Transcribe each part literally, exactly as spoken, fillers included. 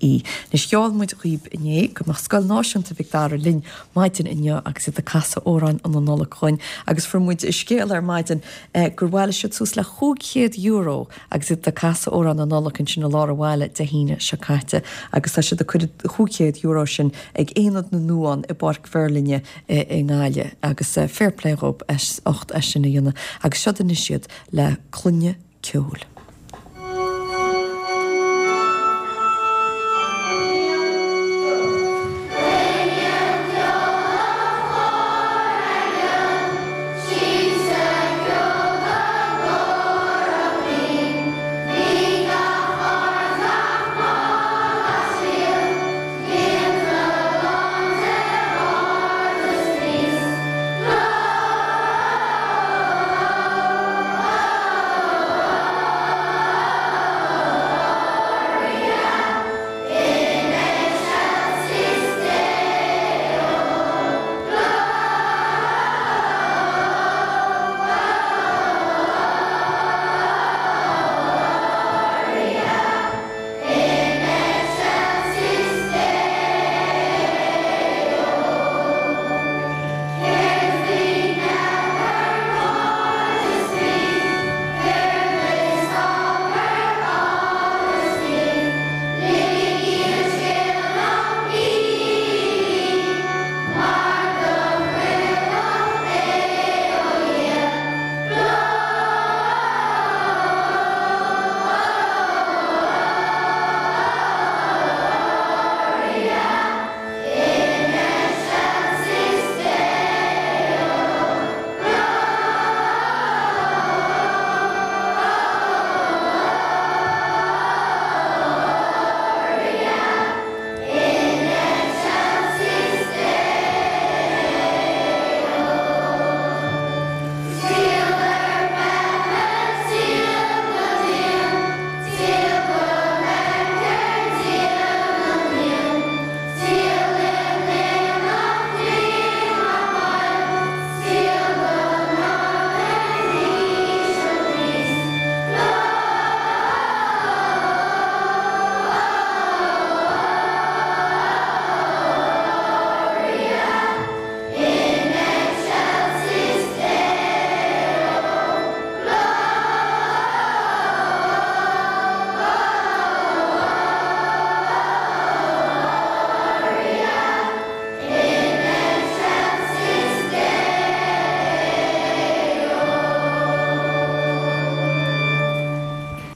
I E. Anois gheall muid dhaoib inné go mbeadh Scoil Náisiúnta Mhic Dara linn maidin inniu agus iad ag casadh amhráin na Nollag chugainn agus fuair muid scéal ar maidin eh, gur bhailigh siad suas le chúig chéad euro agus iad ag casadh amhrán na Nollag ansin i lár an bhaile Dé hAoine seo caite agus tá siad ag cur chúig chéad euro sin ag Aonad na nDuán i bPáirc Mheirlinne i nGaillimh agus eh, fair play dhób as ucht é sin a dhéanamh agus seo anois iad le Cluiche Ceoil.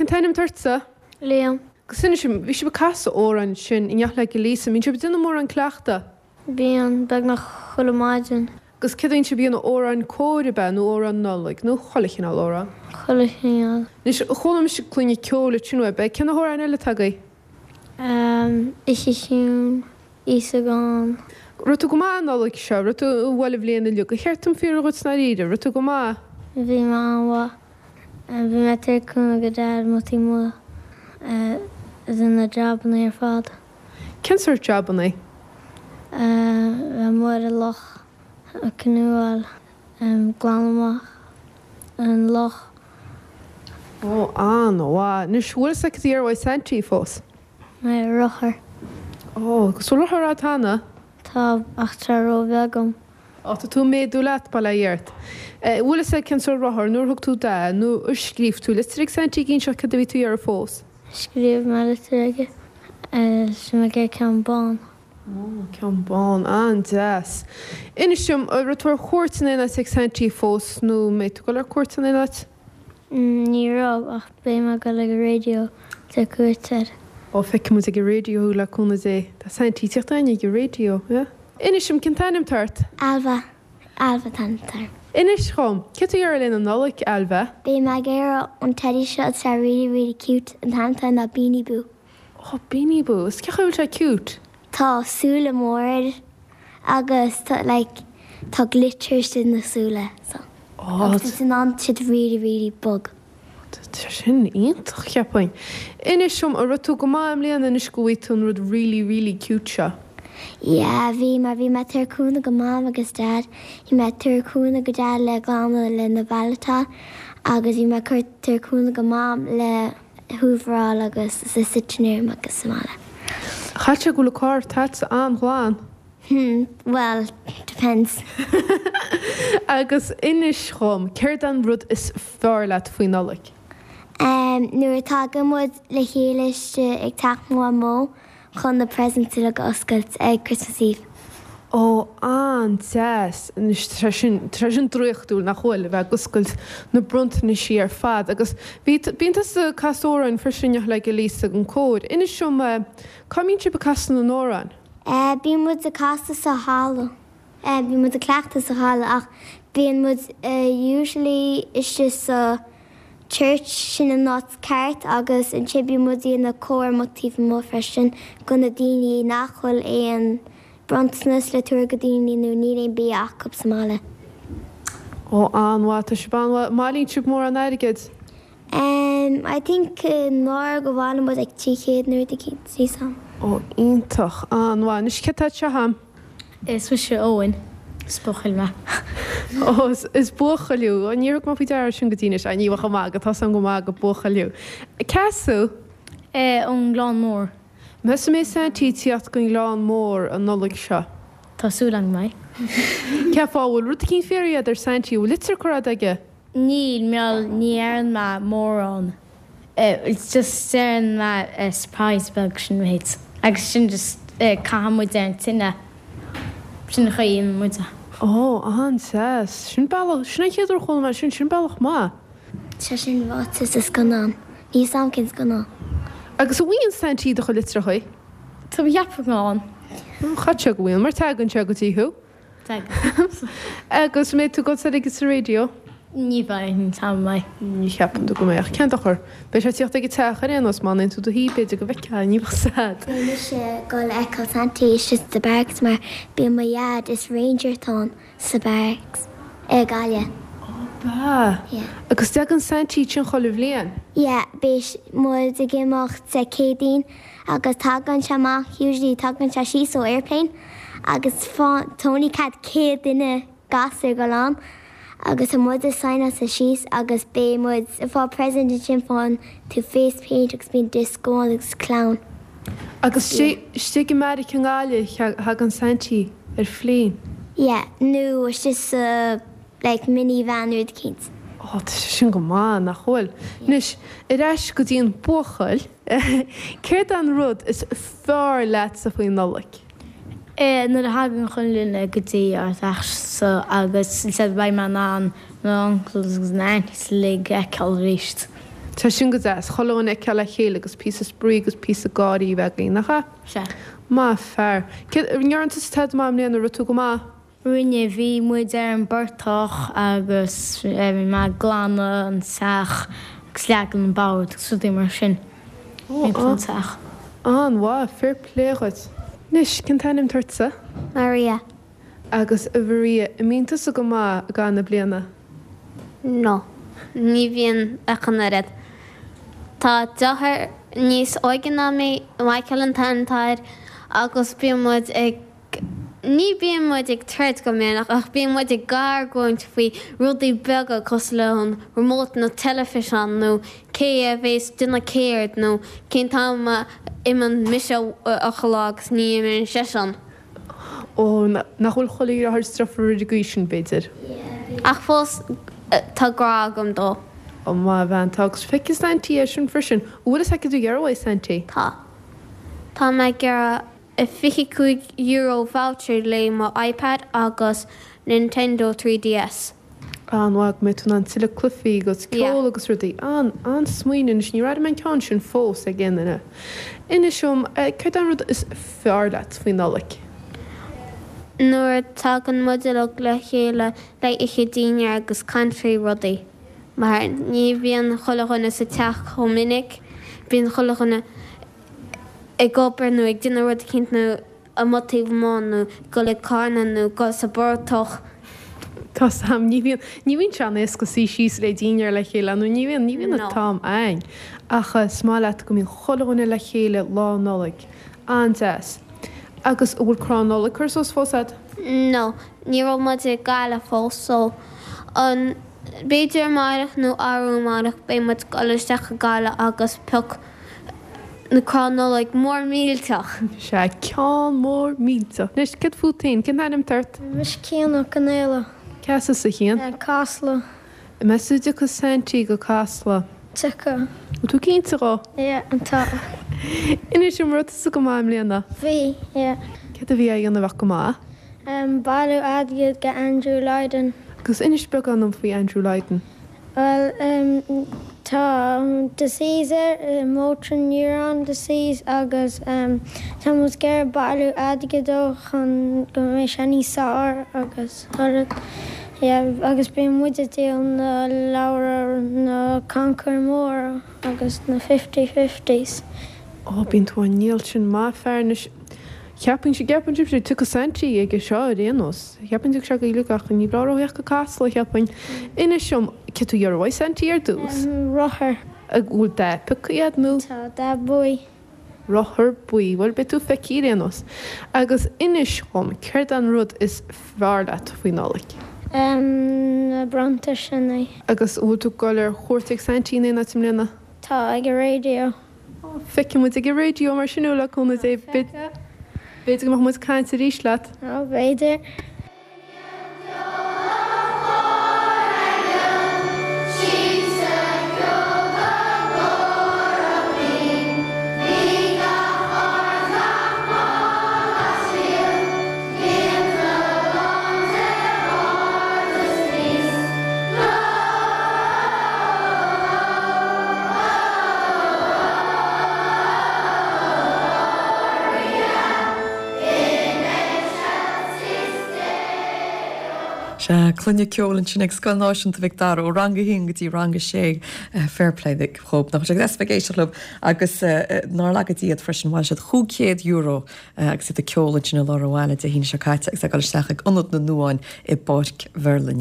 Cén t-ainm atá ortsa? Liam. Agus inis dom, bhí sibh ag casadh amhráin ansin in éineacht le Lisa, mbíonn sibh ag déanamh mórán cleachta? Bíonn, beagnach chuile maidin. Agus céard a bhíonn sibh ag déanamh amhráin cóir ab ea nó amhráin Nollag nó chuile chineál amhrán? Chuile chineál. Anois, chuala mise Cluiche Ceoil ansin uaibh, cé na hamhráin eile atá agaibh? Oíche Chiúin, Íosagán. Raibh tú go maith an Nollaig seo, raibh tú bhuel an bhliain uilig, ar cheart dom fiafraí dhíot i ndáiríre, raibh tú go maith? Bhí mé an-mhaith. Bhí mé ag tabhairt cúnamh go Dad amuigh taobh amuigh de na jabanna ar fad. Cén sórt jabanna? Bheith amuigh ar an loch, ag canúáil, glanadh amach an loch. Ó, an-mhaith. Anois, bhfuil fhios agat cad a iarr Saintí fós? Rothar. Ó, agus bhfuil rothar agat cheana? Tá, ach tá ró-bheag dom. Ó, tá tú ag méadú leat, bail ó Dhia ort. Bhfuil fhios agat cén sórt rothar, nó ar thug tú Daid, nó ar scríobh tú litir ag Saintí ag inseacht cad a bhí tú a iarraidh fós? Scríobh mé litir aige. Tá mé ag iarraidh ceann bán. Ó, ceann bán, an-deas. Inis dom, an raibh tú ar cuairt in aon áit ag Saintí fós, nó an mbeidh tú ag dul ar cuairt in aon áit? Ní raibh, ach beidh mé ag dul ag an raidió le cuairt air. Ó, feicfidh muid ag an raidió thú le cúnamh Dé. Tá Saintí ag tíocht againne ag an raidió, yeah? Inis dom, cén t-ainm atá ort? Ailbhe. Ailbhe an t-ainm atá orm. Inis dhom, céard tá tú ag iarraidh le na Nollag, Ailbhe? Beidh mé ag iarraidh an teddy seo atá really really cute, an t-ainm atá air ná Beanie Boo. Ó, Beanie Boo. Is cén chaoi a bhfuil sé cute? Tá súile mór air agus tá like tá glitter istigh na súile so. Ó, Agus tá in ann siad really really bog. Tá sin iontach, cheapfainn. Inis dom, an raibh tú go maith i mbliana anois go bhfaighidh tú an rud really really cute seo? Yeah, bhí mar bhí mé ag tabhairt cúnamh go Mam agus Dad. Bhí mé ag tabhairt cúnamh go Dad le glanadh le na bailitá agus bhí mé ag cur tabhairt cúnamh go Mam le húvaráil agus sa sitting room agus sa mbaile. Caithfidh sé go bhfuil an carr agatsa an-ghlan. Hmm, well, depends. Agus inis dhom, céard an rud is fearr leat faoi Nollaig? Um, nuair a tagann muid le chéile istigh ag teach Mhamó chun na presents uilig a oscailt ag Christmas Eve. Ó an-deas anois tá sin tá sin draíochtúil nach bhfuil a bheith ag oscailt na bronntanaisí ar fad agus bhí bíonn tusa ag casadh amhráin freisin le Elise ag an cór. Inis dom cá mbíonn sibh ag casadh na n-amhrán? Uh, bíonn muid ag casadh sa halla. Uh, bíonn muid ag cleachtadh sa halla ach bíonn muid uh, usually istigh sa church sin an áit ceart agus ansin bíonn muid ina cór amuigh taobh amuigh freisin go na daoine nach bhfuil aon bronntanas le tabhairt go daoine nó níl aon bia acu sa mbaile. Ó an-mhaith tá sibh an-mhaith mbailíonn sibh mórán airgid. Um, I think uh, go bhfuil muid ag trí chéad nuair a cinn sam. Ó iontach an-mhaith anois cé tá seo agam. Is mise Eoin is buachaill mé. Ó is is buachaill thú an níor má faoi deara sin go dtí anois ní bh amach go tá an go maith go buachaill thú. Cá as thú? Ón nGleann Mór. Meas tú an mbeidh Saintí teacht go Gleann Mór an Nollaig seo. Tá súil agam go mbeidh. Cén fáth bhfuil rud éicint fiafraithe agat ar Saintí bhfuil litir curtha aige? Níl mar ní deireann mé mórán. It's just deireann mé surprise beag sin méid. Agus sin just caitheann muid ar an tine. Sin an chaoi muid. Ó an-deas sin bealach sin an chéad uair a chuala mé sin sin bealach maith. Tá sin ráite sa scannán. Ní sam cén scannán. Agus an bhfaigheann Saintí do chuid litreacha? Tá cheap an. Chaith sé go bhfuil mar tagann sé go dtí thú. Agus mbeidh tú go ag sa raidió? Ní bheidh tam mé. Ní cheapann tú go mbeidh cén dochar. Beidh sé tíocht ag teach ar aon nós má tú do hí b'fhéidir go bhfeicfeá ní bheadh sad. Mise go feiceáil Saintí istigh sa barracks mar bíonn mo dhaid is ranger atá sa barracks i Gaillimh. Ba. Yeah. Agus tagann Saintí sin chuile bhliain. Yeah, beidh muid ag imeacht sa Céadaoin agus tagann sé amach usually tagann sé síos ó airplane agus tá only cead céad duine gasúr go lán agus tá muid ag sign sa síos agus beidh muid ag fáil present sin faigheann tú face paint agus bíonn disco agus clown. Agus istigh i mbeairic i nGaillimh thagann Saintí ar plane. Yeah, nó istigh sa like minivan rud éicint. Ó tá sé sin go maith nach bhfuil. Anois ar ais go dtí an buachaill, céard an rud is fearr leatsa faoin Nollaig? Nuair a thagann chuile dhuine go dtí ár dteach agus said beidh mé in ann na uncles agus na aunties uilig a fheiceáil arís. Tá sin go deas, chuile dhuine a fheiceáil le chéile agus píosa spraoi agus píosa gáirí a bheith againn, nach ea? Sea. Maith fear. Ndearna tusa tada maith i mbliana rud tú go maith? Rinne bhí muid ar an bportach agus bhí mé ag glanadh an teach agus leagan an bord agus rudaí mar sin. Ó, an teach. An-mhaith, fair play dhuit. Anois, cén t-ainm atá ortsa? Maria. Agus a Mharia, an mbíonn tusa go maith i gcaitheamh na bliana? No, ní bhíonn ach an oiread. Tá deartháir níos óige ná mé, Michael an t-ainm atá air, agus bíonn muid ag ní bíonn muid ag troid go minic ach bíonn muid ag argóint faoi rudaí beaga cosúil le an remote nó teilifíseán nó cé a bhéas déanamh céard nó cén t-am a imíonn mise a chodladh agus ní imíonn seisean. Ó nach bhfuil chuile dheartháir is deirfiúr ar an gcaoi sin b'fhéidir. Ach fós tá grá agam dó. Ó maith bhean tá agus feicfidh Saintí é sin freisin. Bhfuil fhios acu do dhearbhaigh Saintí? Tá. Tá mé ag iarraidh fiche cúig euro voucher le mo iPad agus Nintendo three DS. An-mhaith go mbeidh tú in ann tuilleadh cluichí agus ceol agus rudaí. An an-smaoineamh anois ní raibh mé an ceann sin fós ag aon duine. Inis dom, céard an rud is fearr leat faoin Nollaig? Nuair a tagann muid uilig le chéile le ithe dinnéar agus caint faoi rudaí. Mar ní bhíonn chuile dhuine sa teach chomh minic, bíonn chuile dhuine ag obair nó ag déanamh rud éicint nó amuigh taobh amuigh nó dul ag carnadh nó dul sa bportach. Tá sam ní bhíonn ní bhíonn sé an-éasca suí síos le dinnéar le chéile nó ní bhíonn ní bhíonn an t-am againn. Ach is maith leat go mbíonn chuile dhuine le chéile lá Nollag. An-deas. Agus an bhfuil crann Nollag curtha suas fós agat? No, ní raibh muid ag Gaillimh fós so an b'fhéidir amárach nó arú amárach beidh muid ag dul isteach i Gaillimh agus pioc na crann Nollag mór millteach. Sea, ceann mór millteach. Anois, céard fút féin? Cén t-ainm atá ort? Mise Cian Ó Conaola. Cá as tusa, a Chiain? Casla. An meas tú an dtiocfaidh Saintí go Casla? Tiocfaidh. Bhfuil tú cinnte dhó? Yeah, tá. Inis dom, an raibh tusa go maith i mbliana? Bhí, yeah. Céard a bhí á dhéanamh a bheadh go maith? Bailiú airgid go Andrew Lydon. Agus inis beagán dom faoi Andrew Lydon. Bhuel, tá disease air, motor neuron disease, agus tá muid ag iarraidh bailiú airgid dó chun go mbeidh sé níos fearr agus rud, yeah, agus bíonn muid ag díol na leabhra, na cancair móra agus na fifty fifties. Ó, bíonn tú á ndíol sin maith fear anois. Cheapfainn, gceapann sibhse, tiocfaidh Saintí aige seo ar aon nós. Cheapfainn tiocfaidh sé go Sligeach, ní breá ró theacht go Casla, cheapfainn. Inis dom, céard tú ag iarraidh uaidh Saintí ar dtús? Rothar. An bhfuil dath pioctha agat nó? Tá, dath buí. Rothar buí, bhuel beidh tú feicthe ar aon nós. Agus inis dhom, céard an rud is fearr leat faoi Nollaig? Na bronntaisí. Agus an bhfuil tú ag dul ar chuairt ag Saintí in aon áit i mbliana? Tá, ag an raidió. Feicfidh muid ag an raidió mar sin thú le cúnamh Dé. B'fhéidir go mbeadh muid ag caint arís leat. Ó, b'fhéidir. Sea, clainne ceoil ansin ag Scoil Náisiúnta Mhic Dara ó rang a haon go dtí rang a sé. Fair play dhób, nach bhfuil sé deas bheith ag éisteacht leo agus nár laga Dia iad freisin, bhailigh siad chúig chéad euro agus iad ag ceol ansin i lár an bhaile Dé hAoine seo caite agus ag dul isteach ag Ionad na nDuán i bPáirc Mherlyn.